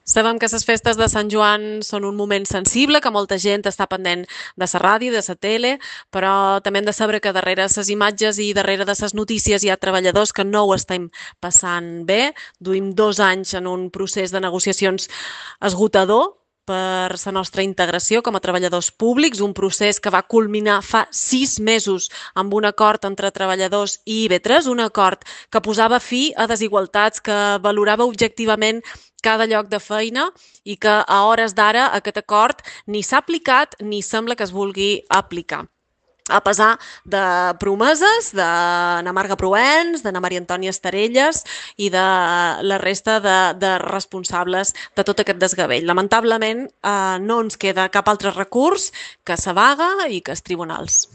Sabem que les festes de Sant Joan són un moment sensible, que molta gent està pendent de la ràdio, de la tele, però també hem de saber que darrere les imatges i darrere de les notícies hi ha treballadors que no ho estem passant bé. Duim 2 anys en un procés de negociacions esgotador per la nostra integració com a treballadors públics, un procés que va culminar fa 6 mesos amb un acord entre treballadors i IB3, un acord que posava fi a desigualtats, que valorava objectivament cada lloc de feina i que a hores d'ara aquest acord ni s'ha aplicat ni sembla que es vulgui aplicar a pesar de promeses d'Anna Marga Proens, d'Anna Maria Antònia Estarelles i de la resta de responsables de tot aquest desgavell. Lamentablement no ens queda cap altre recurs que la vaga i que els tribunals.